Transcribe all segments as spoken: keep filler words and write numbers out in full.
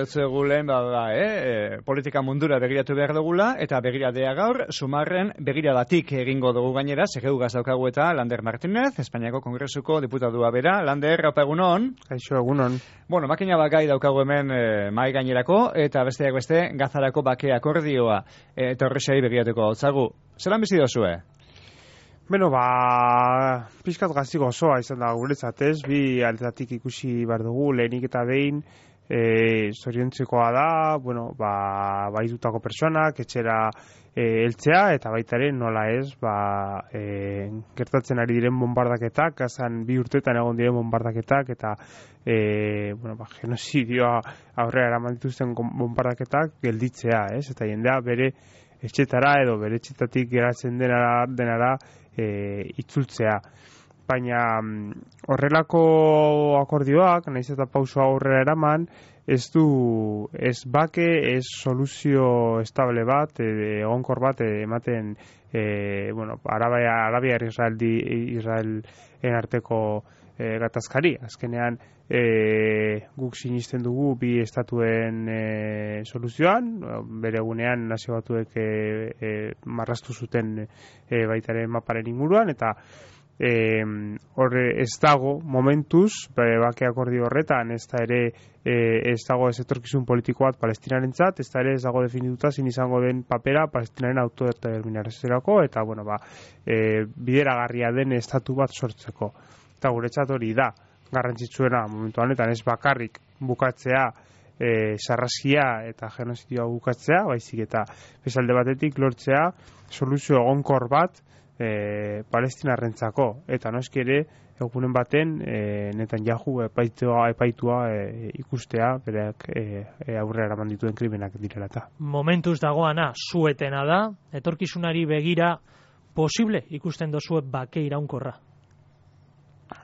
dugu lehen, ba, ba, eh, politika mundura begiratu behar dugula, eta begiradea gaur, sumarren begiradatik egingo dugu gainera, segegugaz daukagu eta Lander Martínez, Espainiako Kongresuko diputadua bera. Lander, haupa egunon. Kaixo, egunon. Bueno, makina bakai daukagu hemen eh, mai gainerako, eta besteak beste, Gazarako bake akordioa, eh, eta horrexai begiratuko gautzagu. Zeran bizi dozue? Beno, ba, pixkat gazi gozoa izan da guretzat, ez? Bi aldetatik ikusi behar dugu, lehenik eta behin, e, zoriontzekoa da, bueno, ba, baitutako personak, etxera e, eltzea, eta baitaren nola ez, ba, e, gertatzen ari diren bombardaketak, gazan bi urtetan egon diren bombardaketak, eta, e, bueno, ba, genozidioa aurrera eraman dituzten bombardaketak gelditzea, ez? Eta jendea bere etxetara edo bere etxetatik geratzen denara, denara e, itzultzea. Baina horrelako akordioak, nahiz eta pausoa aurrera eraman, ez du, ez bake, ez soluzio estable bat, egonkor bat ematen, e, bueno, Arabia, Arabia Israel, Israelen arteko e, gatazkari. Azkenean, e, guk sinisten dugu bi estatuen e, soluzioan, bere egunean nazio batuek e, e, marraztu zuten e, baitaren maparen inguruan, eta E, horre ez dago momentuz bake akordio horretan, ez da ere e, ez dago ez etorkizun politiko bat palestinarentzat, ez da ere ez dago definituta zin izango den papera palestinaren autodeterminaziorako, eta bueno, ba, e, bideragarria den estatu bat sortzeko. Eta guretzat hori da garrantzitsuena momentu honetan, ez bakarrik bukatzea e, sarrazkia eta genozidioa bukatzea, baizik eta bezalde batetik lortzea soluzio egonkor bat E, palestinarrentzako, eta noski ere egunen baten e, Netanyahu epaitua, epaitua e, ikustea bereak e, e, aurrera eraman dituen krimenak direla eta. Momentuz dagoana zuetena da, etorkizunari begira posible ikusten dozue bake iraunkorra?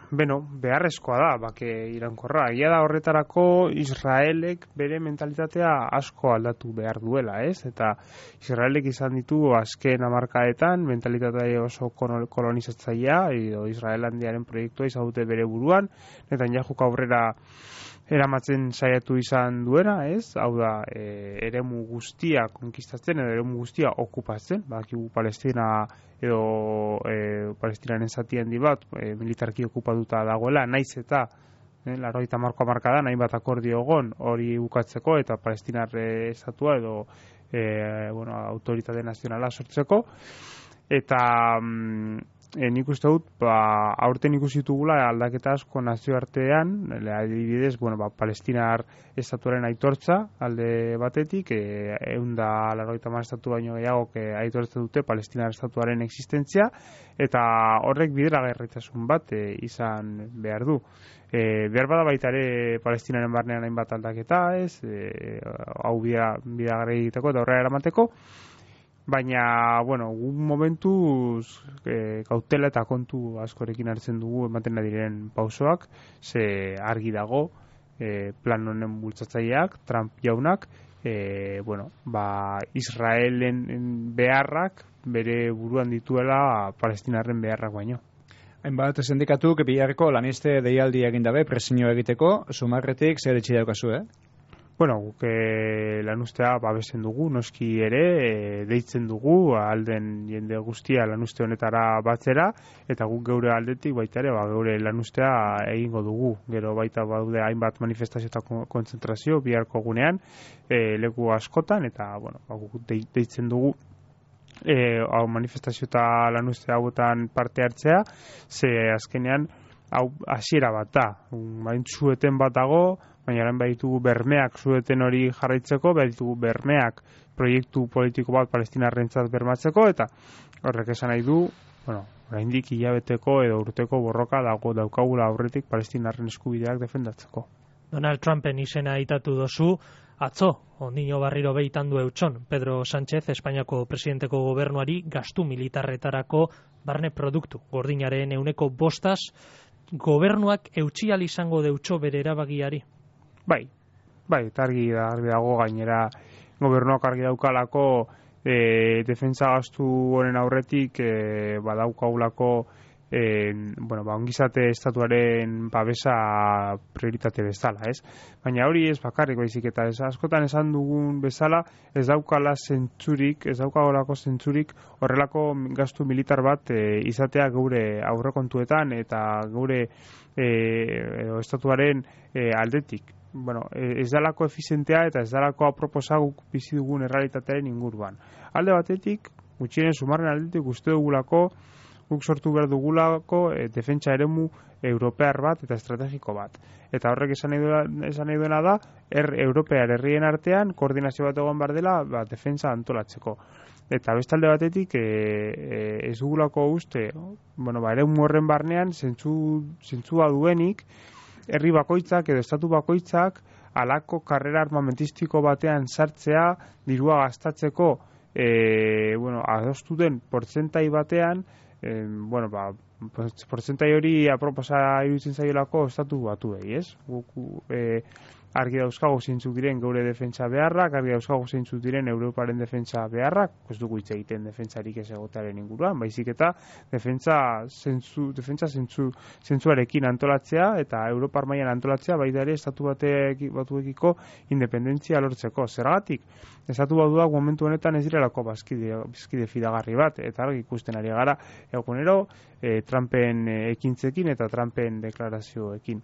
Beno, beharrezkoa da bake iraunkorra. Egia da horretarako Israelek bere mentalitatea asko aldatu behar duela, ez? Eta Israelek izan ditu azken hamarkadetan mentalitatea oso kolonizatzailea, edo Israelandiaren proiektua izan dute bere buruan, Netanyahu aurrera eramatzen saiatu izan duena, ez? Hau da, e, eremu guztia konkistatzen, edo eremu guztia okupatzen, badakigu Palestina edo e, Palestinaren zati handi bat e, militarki okupatuta dagoela, naiz eta e, laurogeita hamarko hamarkadan hainbat akordio egon hori bukatzeko eta Palestinar estatua edo e, bueno, autoritate nazionala sortzeko, eta mm, E, nik uste dut, ba, aurten ikusi dugula aldaketa asko nazioartean, adibidez, bueno, ba, Palestinar estatuaren aitortza alde batetik, e, eunda laurogeita hamar estatu baino gehiago que aitortzen dute Palestinar estatuaren existentzia, eta horrek bideragarritasun bat e, izan behar du. E, behar bada baita ere Palestinaren barnean hainbat aldaketa, ez, e, hau bidagarri egiteko eta horrela eramateko, baina, bueno, un momentuz e, kautela eta kontu askorekin hartzen dugu ematen diren pausoak, ze argi dago e, plan honen bultzatzaileak, Trump jaunak, e, bueno, ba, Israelen beharrak bere buruan dituela Palestinarren beharrak baino. Hainbat sindikatuk biharko laniste deialdi egin dabe presioa egiteko, sumarretik zer etxi daukazu, eh? Bueno, guk e, lanustea babesen dugu, noski ere, e, deitzen dugu, alden jende guztia lanuste honetara batzera, eta guk geure aldetik baita ere, ba, geure lanustea egingo dugu. Gero baita baude hainbat manifestazio eta kontzentrazio biharko gunean, e, leku askotan, eta bueno, ba, guk deitzen dugu e, hau manifestazio eta lanuste hauetan parte hartzea, ze azkenean hau hasiera bat da, bain zueten bat dago, baina lan baditugu bermeak zueten hori jarraitzeko, baditugu bermeak proiektu politiko bat palestinarrentzat bermatzeko, eta horrek esan nahi du, bueno, oraindik hilabeteko edo urteko borroka dago daukagula aurretik palestinarren eskubideak defendatzeko. Donald Trumpen izena aitatu dozu, atzo, ondino barriro behitan du eutxon, Pedro Sánchez, Espainiako presidenteko gobernuari gastu militarretarako barne produktu, gordinaren euneko bostaz, gobernuak eutxial izango deutxo bere erabagiari. Bai, bai, eta argi da, argi dago gainera gobernuak argi daukalako e, defentsa gastu honen aurretik e, badaukagulako E, bueno, ba, ongizate estatuaren babesa prioritate bezala, ez? Baina hori ez bakarrik baizik eta ez askotan esan dugun bezala ez daukala zentzurik, ez daukagolako zentzurik horrelako gastu militar bat e, izatea geure aurrekontuetan eta geure e, edo estatuaren e, aldetik. Bueno, ez dalako efizientea eta ez dalako aproposa guk bizi dugun errealitatearen inguruan. Alde batetik, gutxienen sumarren aldetik uste dugulako guk sortu behar dugulako e, defentsa eremu europear bat eta estrategiko bat. Eta horrek esan nahi duena, esan nahi duena da, er, europear herrien artean koordinazio bat egon behar dela ba, defentsa antolatzeko. Eta bestalde batetik e, e, ez dugulako uste, bueno, ba, eremu horren barnean zentzu, zentzua duenik, herri bakoitzak edo estatu bakoitzak alako karrera armamentistiko batean sartzea, dirua gastatzeko e, bueno, adostu den portzentai batean, Eh, bueno, ba, portzentai hori aproposa iruditzen zaiolako estatu batuei, ez? Guk eh, argi dauzkago zeintzuk diren geure defentsa beharrak, argi dauzkago zeintzuk diren Europaren defentsa beharrak, ez dugu hitz egiten defentsarik ez egotearen inguruan, baizik eta defentsa zentzu, defentsa zentzu, zentzuarekin antolatzea eta Europar mailan antolatzea baita ere estatu batek, batuekiko independentzia lortzeko. Zergatik, estatu batuak momentu honetan ez direlako bazkide, bazkide fidagarri bat, eta argi ikusten ari gara egunero e, Trumpen ekintzekin eta Trumpen deklarazioekin.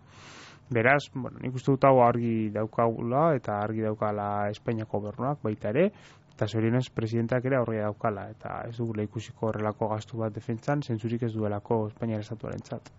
Beraz, bueno, nik uste dut hau argi daukagula eta argi daukala Espainiako gobernuak baita ere, eta zorionez presidentak ere aurria daukala, eta ez dugula ikusiko horrelako gastu bat defentsan, zentzurik ez duelako Espainiar estatuarentzat.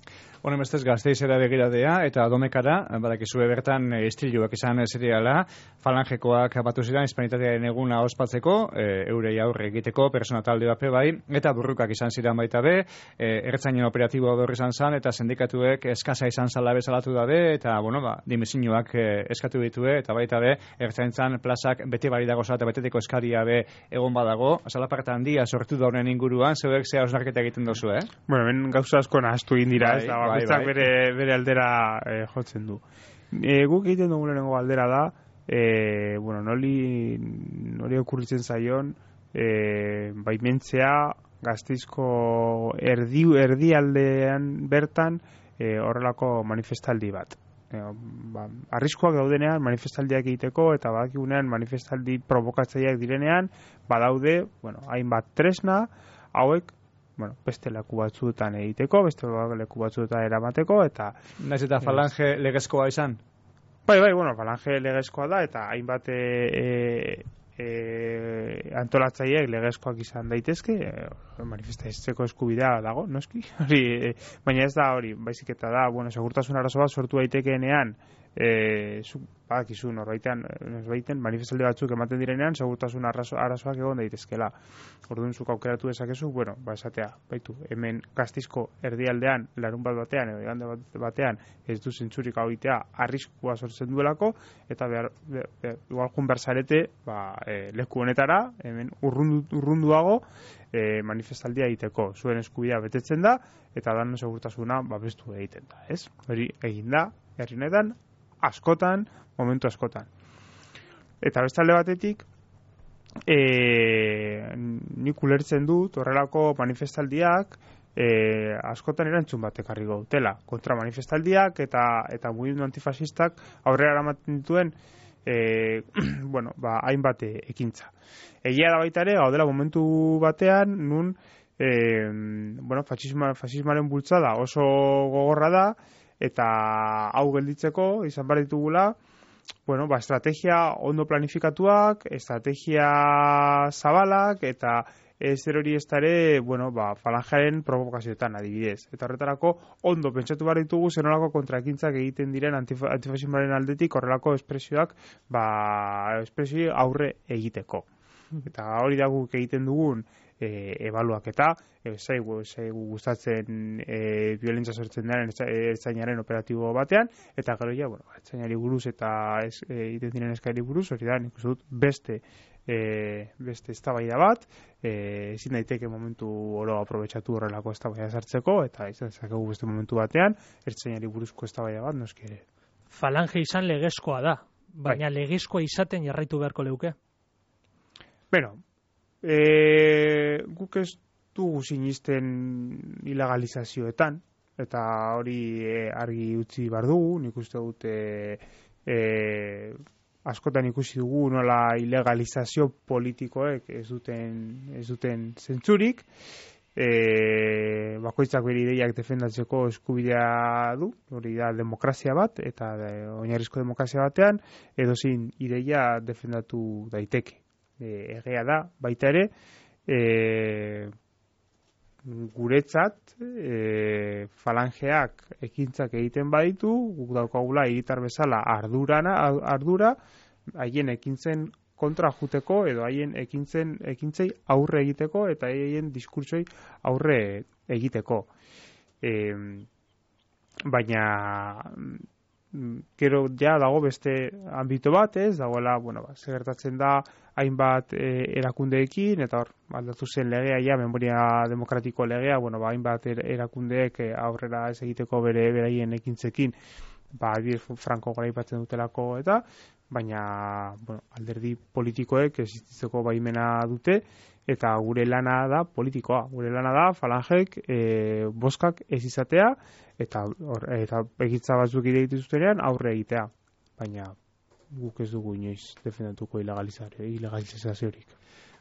Honen bestez Gasteizera begiradea eta Domekara, badakizue bertan istiluak izan zeriala, falangekoak batu ziren hispanitatearen eguna ospatzeko, e, eurei aurre egiteko, persona talde bape bai, eta burrukak izan ziren baita be, e, ertzainen operatiboa berri izan zan, eta sindikatuek eskasa izan zala bezalatu dabe, eta, bueno, ba, dimisioak e, eskatu ditue, eta baita be, ertzaintzan plazak bete bari dago eta beteteko eskaria be egon badago, zalaparta handia sortu da honen inguruan, zeuek zea osnarketa egiten dozu, eh? Bueno, ben gauza asko nahaztu egin dira, bai, ez da, bai, bakoitzak bai. bere, bere aldera e, jotzen du. E, guk egiten dugu lehenengo aldera da, e, bueno, noli, noli okurritzen zaion, e, baimentzea Gasteizko erdi, erdialdean bertan e, horrelako manifestaldi bat. E, ba, arriskoak daudenean manifestaldiak egiteko eta badakigunean manifestaldi provokatzaileak direnean badaude, bueno, hainbat tresna hauek bueno, beste leku batzuetan egiteko, beste leku batzuetan eramateko, eta... Naiz eta falange legezkoa izan? Bai, bai, bueno, falange legezkoa da, eta hainbat e, e, e, antolatzaileek legezkoak izan daitezke, e, manifestatzeko eskubidea dago, noski? Hori, e, baina ez da hori, baizik eta da, bueno, segurtasun arazo bat sortu daitekeenean, e, zu, badakizu norbaitean, norbaiten manifestaldi batzuk ematen direnean segurtasun arazo, arazoak egon daitezkela. Orduan zuk aukeratu dezakezu, bueno, ba esatea, baitu, hemen Gasteizko erdialdean, larun bat batean edo igande bat batean ez du zentzurik egitea arriskua sortzen duelako, eta behar, behar, behar igual jun berzarete, ba, e, leku honetara, hemen urrundu, urrunduago e, manifestaldia egiteko. Zuen eskubidea betetzen da, eta dan segurtasuna babestu egiten da, ez? Hori egin da, herri honetan, askotan, momentu askotan. Eta bestalde batetik, e, nik ulertzen dut horrelako manifestaldiak e, askotan erantzun bat ekarri gautela. Kontra manifestaldiak eta eta mugimendu antifasistak aurrera eramaten dituen e, bueno, ba, hainbat ekintza. Egia da baita ere, gaudela momentu batean, nun e, bueno, fasisma, fasismaren bultzada oso gogorra da, eta hau gelditzeko izan behar ditugula, bueno, ba, estrategia ondo planifikatuak, estrategia zabalak, eta ez hori ez ere, bueno, ba, falangearen provokazioetan adibidez. Eta horretarako ondo pentsatu behar ditugu zenolako kontraekintzak egiten diren antif antifasismoaren aldetik horrelako espresioak, ba, espresio aurre egiteko. Eta hori da guk egiten dugun e, ebaluaketa, e, zaigu, zaigu gustatzen e, violentzia sortzen daren ertzainaren operatibo batean, eta gero ja, bueno, ertzainari buruz eta ez, e, egiten diren eskairi buruz, hori da, nik uste dut beste e, beste eztabaida bat, e, ezin daiteke momentu oro aprobetxatu horrelako eztabaida sartzeko, eta izan dezakegu beste momentu batean, ertzainari buruzko eztabaida bat, noski ere. Falange izan legezkoa da, baina bai. Legezkoa izaten jarraitu beharko leuke? Bueno, e, guk ez dugu sinisten ilegalizazioetan, eta hori e, argi utzi bar dugu, nik uste dut e, e, askotan ikusi dugu nola ilegalizazio politikoek ez duten, ez duten zentzurik, e, bakoitzak bere ideiak defendatzeko eskubidea du, hori da demokrazia bat, eta de, oinarrizko demokrazia batean, edozein ideia defendatu daiteke. E, egea da, baita ere, e, guretzat e, falangeak ekintzak egiten baditu, guk daukagula hiritar bezala ardurana, ardura haien ekintzen kontra juteko edo haien ekintzen ekintzei aurre egiteko eta haien diskurtsoi aurre egiteko. E, baina gero ja dago beste ambito bat, ez, dagoela, bueno, ba, segertatzen da hainbat e, erakundeekin, eta hor, aldatu zen legea, ja, memoria demokratiko legea, bueno, ba, hainbat er, erakundeek e, aurrera ez egiteko bere beraien ekintzekin, ba, Franco garaipatzen dutelako, eta, baina, bueno, alderdi politikoek existitzeko baimena dute, eta gure lana da politikoa, gure lana da falangek e, boskak ez izatea, eta, or, eta egitza batzuk ide dituztenean aurre egitea, baina guk ez dugu inoiz defendatuko ilegalizaziorik.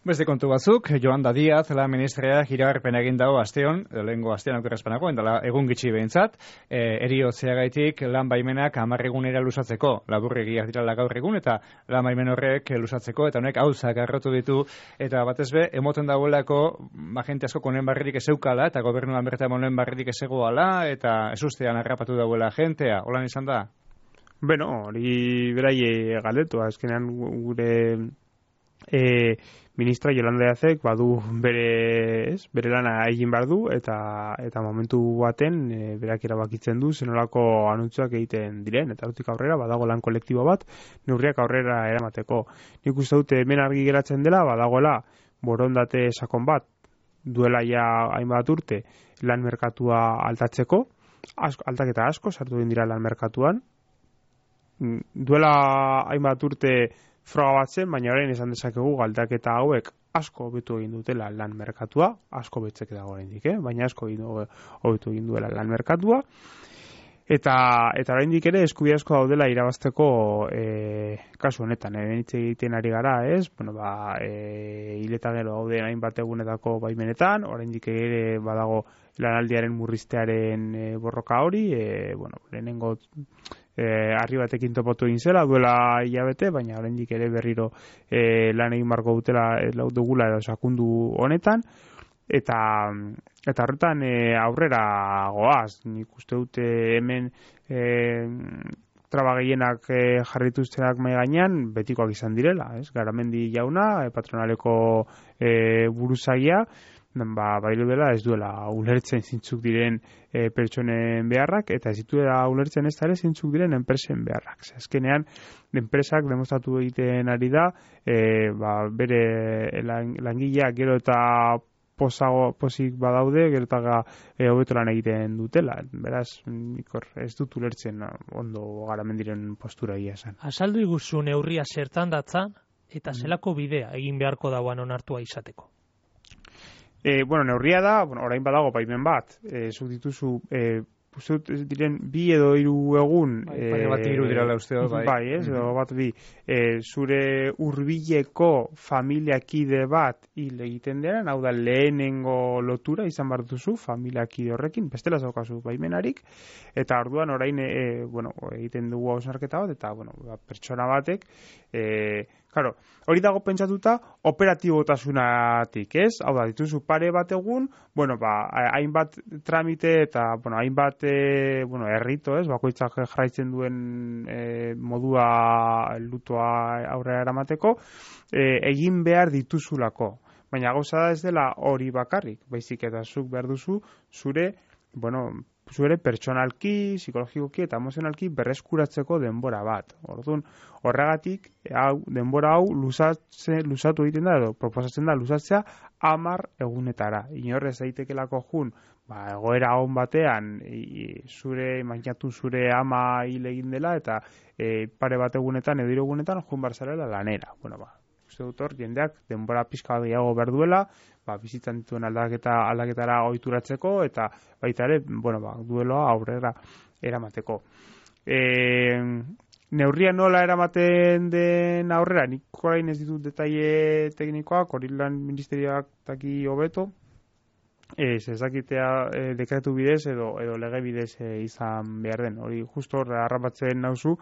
Beste kontu batzuk, Yolanda Díaz, la ministrea iragarpen egin dago asteon, lehengo astean aukerazpanako, endala egun gitxi behintzat, e, eriotzeagaitik lan baimenak hamar egunera luzatzeko, laburregiak dirala gaur egun, eta lan baimen horrek luzatzeko, eta honek hauzak arrotu ditu, eta batez be, emoten dagoelako, agente asko konen barririk ezeukala, eta gobernuan bertan monen barririk ezegoala, eta ezustean harrapatu dagoela agentea, holan izan da? Beno, hori beraie galdetu, azkenean gure e, ministra Yolanda Díazek badu bere, ez, bere lana egin behar du, eta, eta momentu baten e, berak erabakitzen du zenolako anuntzuak egiten diren, eta hortik aurrera badago lan kolektibo bat, neurriak aurrera eramateko. Nik uste dute hemen argi geratzen dela, badagoela borondate sakon bat, duela ja hainbat urte lan merkatua aldatzeko, asko, aldaketa asko sartu egin dira lan merkatuan, duela hainbat urte froga bat zen, baina orain esan dezakegu galdaketa hauek asko hobetu egin dutela lan merkatua, asko betzek dago oraindik, eh? Baina asko hobetu egin duela lan merkatua, eta eta oraindik ere eskubide asko daudela irabazteko e, kasu honetan, eh? Hitz egiten ari gara, ez? Bueno, ba, e, hileta gero dauden hainbat egunetako baimenetan, oraindik ere badago lanaldiaren murriztearen e, borroka hori, e, bueno, lehenengo E, arri batekin topotu egin zela duela hilabete, baina oraindik ere berriro e, lan egin marko dutela e, dugula edo sakundu honetan, eta eta horretan e, aurrera goaz, nik uste dute hemen e, traba gehienak e, jarrituztenak mai gainean betikoak izan direla, ez? Garamendi jauna, e, patronaleko e, buruzagia, ba, bailu dela ez duela ulertzen zintzuk diren e, pertsonen beharrak, eta ez dituela ulertzen ez ere zintzuk diren enpresen beharrak. Azkenean, enpresak demostratu egiten ari da, e, ba, bere lang, langileak gero eta posago, posik badaude, gero eta e, hobeto lan egiten dutela. Beraz, nikor, ez dut ulertzen ondo garamendiren postura ia esan. Azaldu iguzu neurria zertan datzan, eta zelako bidea egin beharko dauan onartua izateko? E, bueno, neurria da, bueno, orain badago baimen bat, e, zuk dituzu, e, Puzut diren bi edo hiru egun bai, e, bat hiru dirala uste dut, bai. Bai, ez, edo bat bi e, zure hurbileko familiakide bat hil egiten denen, hau da lehenengo lotura izan behar duzu familiakide horrekin, bestela zaukazu baimenarik, eta orduan orain e, bueno, egiten dugu hausnarketa bat, eta bueno, pertsona batek e, claro, hori dago pentsatuta operatibotasunatik, ez? Hau da, dituzu pare bat egun, bueno, ba, hainbat tramite eta, bueno, hainbat, e, bueno, errito, ez? Bakoitzak jarraitzen duen e, modua lutoa aurrera eramateko, e, egin behar dituzulako. Baina gauza da ez dela hori bakarrik, baizik eta zuk behar duzu zure, bueno, zure pertsonalki, psikologikoki eta emozionalki berreskuratzeko denbora bat. Orduan, horregatik, hau, denbora hau luzatze, luzatu egiten da, edo proposatzen da luzatzea hamar egunetara. Inorrez daitekelako jun, ba, egoera on batean, e, zure, imaginatu zure ama hil egin dela, eta e, pare bat egunetan, edo hiru egunetan, jun barzarela lanera. Bueno, ba, uste dut hor, jendeak denbora pixka gehiago behar duela, ba, bizitzan dituen aldaketa, aldaketara ohituratzeko eta baita ere, bueno, ba, dueloa aurrera eramateko. E, neurria nola eramaten den aurrera, nik orain ez ditut detaile teknikoak, hori lan ministerioak taki hobeto, ez ezakitea e, dekretu bidez edo, edo lege bidez e, izan behar den, hori justo hor harrapatzen nauzu,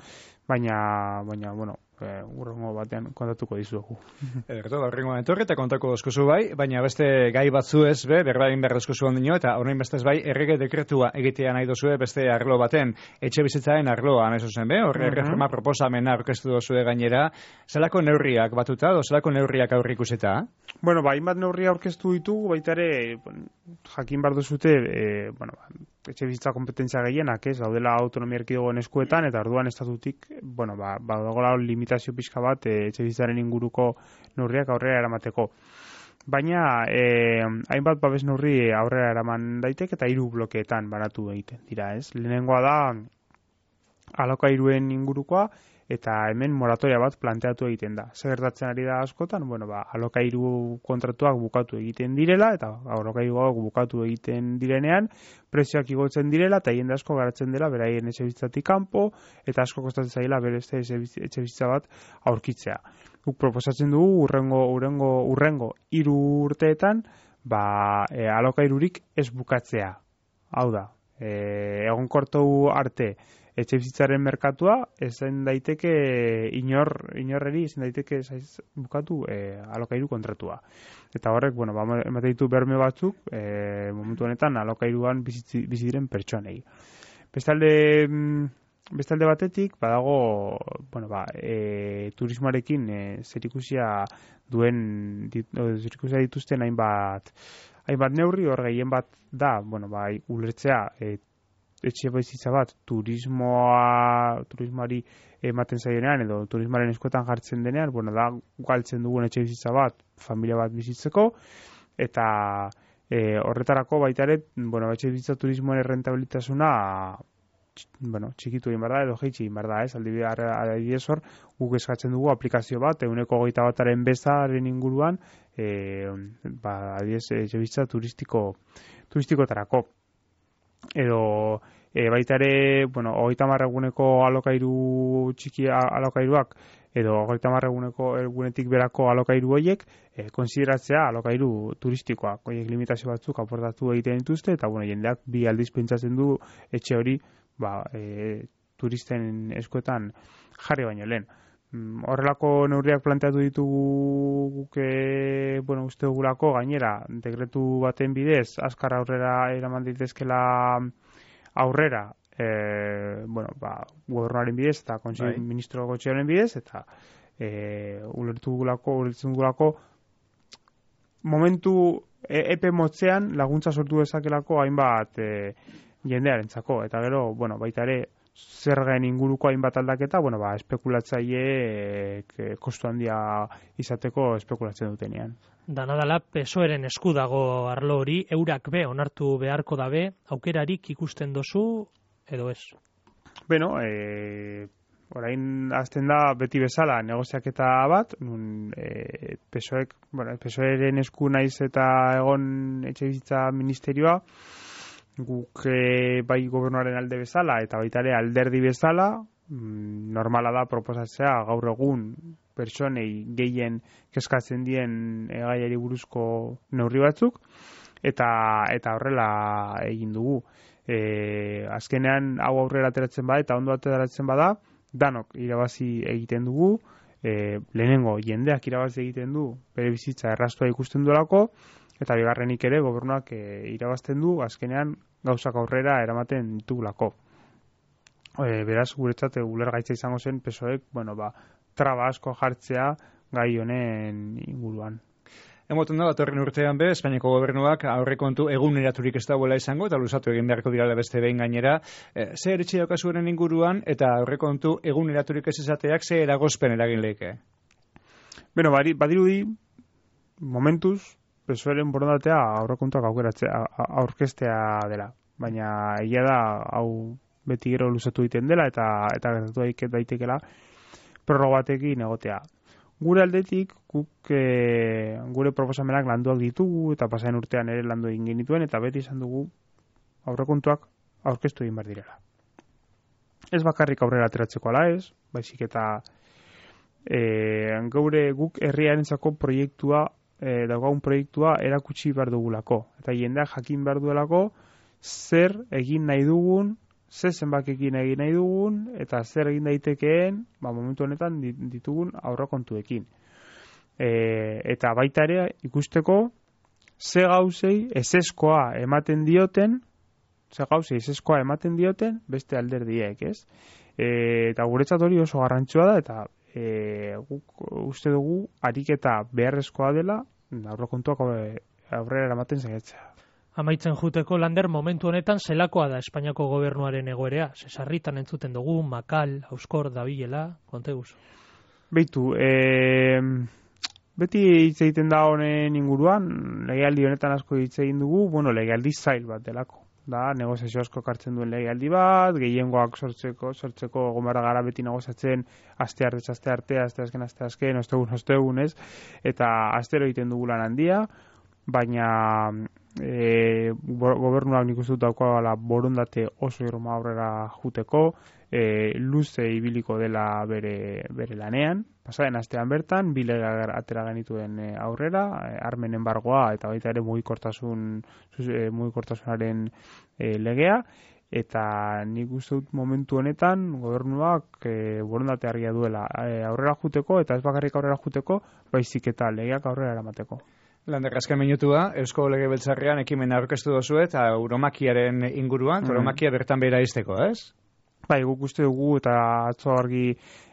baina, baina, bueno, e, urrengo batean kontatuko dizuegu. Ederto, urrengo etorri eta kontako dozkuzu bai, baina beste gai batzu ez, be, berbain behar dozkuzu ondino, eta horrein bestez bai, errege dekretua egitea nahi dozue beste arlo baten, etxe bizitzaren arloa, nahi zuzen, be, horre uh -huh. reforma proposamena aurkeztu dozue gainera, zelako neurriak batuta, do zelako neurriak aurrik ikuseta? Bueno, ba, hainbat neurria aurkeztu ditugu, baita ere, jakin behar duzute, e, bueno, etxe bizitza kompetentzia gehienak, ez, daudela autonomia erkidegoen eskuetan, eta orduan estatutik, bueno, ba, ba dagoela limitazio pixka bat, e, etxe bizitzaren inguruko neurriak aurrera eramateko. Baina, e, hainbat babes neurri aurrera eraman daiteke, eta hiru blokeetan banatu egiten dira, ez. Lehenengoa da, alokairuen ingurukoa, eta hemen moratoria bat planteatu egiten da. Zer gertatzen ari da askotan, bueno, ba, alokairu kontratuak bukatu egiten direla, eta alokairuak bukatu egiten direnean, prezioak igotzen direla, eta jende asko garatzen dela, beraien etxe bizitzatik kanpo, eta asko kostatzen zaila bere etxe bizitza bat aurkitzea. Guk proposatzen dugu, urrengo, urrengo, urrengo hiru urteetan, ba, e, alokairurik ez bukatzea. Hau da, e, egonkortu arte, etxe bizitzaren merkatua ezin daiteke inor inorreri ezin daiteke zaiz bukatu e, alokairu kontratua. Eta horrek, bueno, ba ematen ditu berme batzuk, e, momentu honetan alokairuan bizi diren pertsonei. Bestalde bestalde batetik badago, bueno, ba, e, turismoarekin e, zerikusia duen zerikusia dituzten hainbat hainbat neurri, hor gehien bat da, bueno, ba, ulertzea e, etxe bizitza bat turismoa turismoari ematen zaionean edo turismoaren eskuetan jartzen denean, bueno, da galtzen dugun etxe bizitza bat familia bat bizitzeko, eta e, horretarako baita ere, bueno, etxe bizitza turismoen rentabilitasuna bueno, txikitu egin behar da edo jeitsi egin behar da, ez, adibidez hor guk eskatzen dugu aplikazio bat ehuneko hogeita bataren bezaren inguruan e, ba, adibidez etxe bizitza turistiko turistikotarako. Edo e, baita ere, bueno, hogeita hamar eguneko alokairu txiki alokairuak edo hogeita hamar eguneko egunetik berako alokairu horiek e, konsideratzea alokairu turistikoak. Horiek limitazio batzuk aportatu egiten dituzte eta bueno, jendeak bi aldiz pentsatzen du etxe hori ba, e, turisten eskuetan jarri baino lehen. Horrelako neurriak planteatu ditugu guke, bueno, uste dugulako gainera, dekretu baten bidez, azkar aurrera eraman ditezkela aurrera, e, bueno, ba, gobernuaren bidez, eta bai. Ministro Gotxearen bidez, eta e, ulertu dugulako, ulertzen dugulako, momentu e, epe motzean laguntza sortu dezakelako hainbat e, jendearentzako, eta gero, bueno, baita ere, zergen inguruko hainbat aldaketa, bueno, ba, espekulatzaileek e, kostu handia izateko espekulatzen dutenean. Danadala P S O Eren esku dago arlo hori, eurak be onartu beharko dabe, aukerarik ikusten dozu edo ez? Beno, e, orain azten da beti bezala negoziaketa bat, nun e, P S Oek, bueno, P S Oeren esku naiz eta egon etxebizitza ministerioa, guk e, bai gobernuaren alde bezala eta baita ere alderdi bezala, mm, normala da proposatzea gaur egun pertsonei gehien kezkatzen dien e, gaiari buruzko neurri batzuk, eta eta horrela egin dugu. E, azkenean hau aurrera ateratzen bada eta ondo ateratzen bada, danok irabazi egiten dugu, e, lehenengo jendeak irabazi egiten du bere bizitza erraztua ikusten duelako, eta bigarrenik ere gobernuak e, irabazten du azkenean gauzak aurrera eramaten ditugulako. E, beraz, guretzat ulergaitza izango zen P S Oek, bueno, ba, traba asko jartzea gai honen inguruan. Emoten da, datorren urtean be, Espainiako gobernuak aurrekontu eguneraturik ez dagoela izango, eta luzatu egin beharko dirala beste behin gainera. E, ze eritxe daukazuenen inguruan, eta aurrekontu eguneraturik ez izateak ze eragozpen eragin lehike? Beno, badirudi, momentuz, P S Oeren borondatea aurrekontuak aukeratzea, aurkeztea dela. Baina egia da, hau beti gero luzatu egiten dela, eta eta gertatu daitekela prorroga batekin egotea. Gure aldetik, guk e, gure proposamenak landuak ditugu, eta pasaren urtean ere landu egin genituen, eta beti izan dugu aurrekontuak aurkeztu egin behar direla. Ez bakarrik aurrera ateratzeko ala ez, baizik eta e, gaure guk herriarentzako proiektua, e, daugagun proiektua erakutsi behar dugulako. Eta jendeak jakin behar duelako zer egin nahi dugun, zer zenbakekin egin nahi dugun, eta zer egin daitekeen, ba, momentu honetan ditugun aurrekontuekin. E, eta baita ere ikusteko ze gauzei eseskoa ematen dioten, ze gauzei eseskoa ematen dioten beste alderdiek, ez? E, eta guretzat hori oso garrantzua da, eta e, guk uste dugu ariketa beharrezkoa dela aurrekontuak aurrera eramaten saiatzea. Amaitzen juteko, Lander, momentu honetan zelakoa da Espainiako gobernuaren egoerea? Zesarritan entzuten dugu, Makal, Auskor, dabilela, konte guzu. Beitu, e, beti hitz egiten da honen inguruan, legealdi honetan asko hitz egin dugu, bueno, legealdi zail bat delako. Da, negoziazio asko kartzen duen legealdi bat, gehiengoak sortzeko, sortzeko gomara gara beti negoziatzen aste arte, aste arte, aste azken, aste azken, ostegun, ostegun, ez? Eta astero egiten dugu lan handia, baina e, gobernuak nik uste dut daukala borondate oso irma aurrera juteko, e, luze ibiliko dela bere, bere lanean. Pasaren astean bertan, bi lege atera genituen aurrera, armen enbargoa eta baita ere mugikortasun, mugikortasunaren e, legea, eta nik uste dut momentu honetan gobernuak e, borondate argia duela e, aurrera juteko, eta ez bakarrik aurrera juteko, baizik eta legeak aurrera eramateko. Lander, azken minutua, Eusko Legebiltzarrean ekimena aurkeztu dozu eta euromakiaren inguruan, mm. euromakia bertan behera izteko, ez? Bai, guk uste dugu eta atzo argi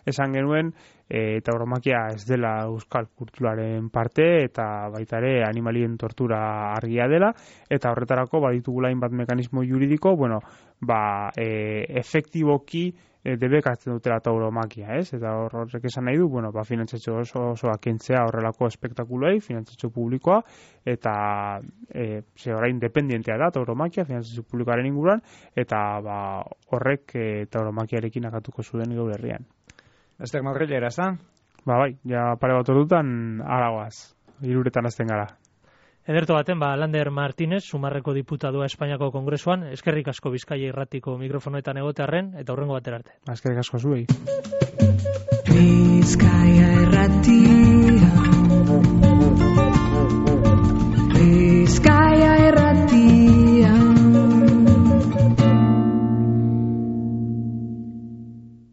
esan genuen, e, eta euromakia ez dela euskal kulturaren parte, eta baita ere animalien tortura argia dela, eta horretarako baditugula hainbat mekanismo juridiko, bueno, ba, e, efektiboki e, debekatzen dutela tauromakia, ez? Eta horrek esan nahi du, bueno, ba, finantzatxo oso osoa kentzea horrelako espektakuloei, finantzatxo publikoa, eta e, ze orain independientea da tauromakia, finantzatxo publikoaren inguruan, eta ba, horrek e, tauromakiarekin akatuko zuen gaur herrian. Ester Madrilera, ez da? Ba, bai, ja pare bat ordutan aragoaz, hiruretan azten gara. Ederto baten, ba, Lander Martínez, Sumarreko diputadua Espainiako Kongresuan, eskerrik asko Bizkaia irratiko mikrofonoetan egotearren, eta hurrengo batera arte. Eskerrik asko zuei. Bizkaia irratia